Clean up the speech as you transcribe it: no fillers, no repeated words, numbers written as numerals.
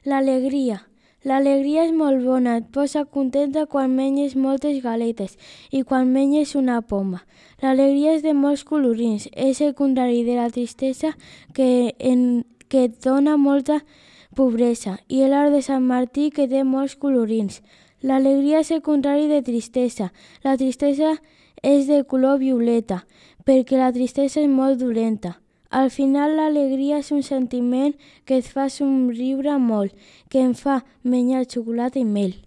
L'alegria. L'alegria és molt bona, et posa contenta quan menges moltes galetes i quan menges una poma. L'alegria és de molts colorins, és el contrari de la tristesa que et dona molta pobresa, i l'art de Sant Martí que té molts colorins. L'alegria és el contrari de tristesa. La tristesa és de color violeta, perquè la tristesa és molt dolenta. Al final, l'alegria és un sentiment que et fa somriure molt, que em fa menjar xocolata i mel.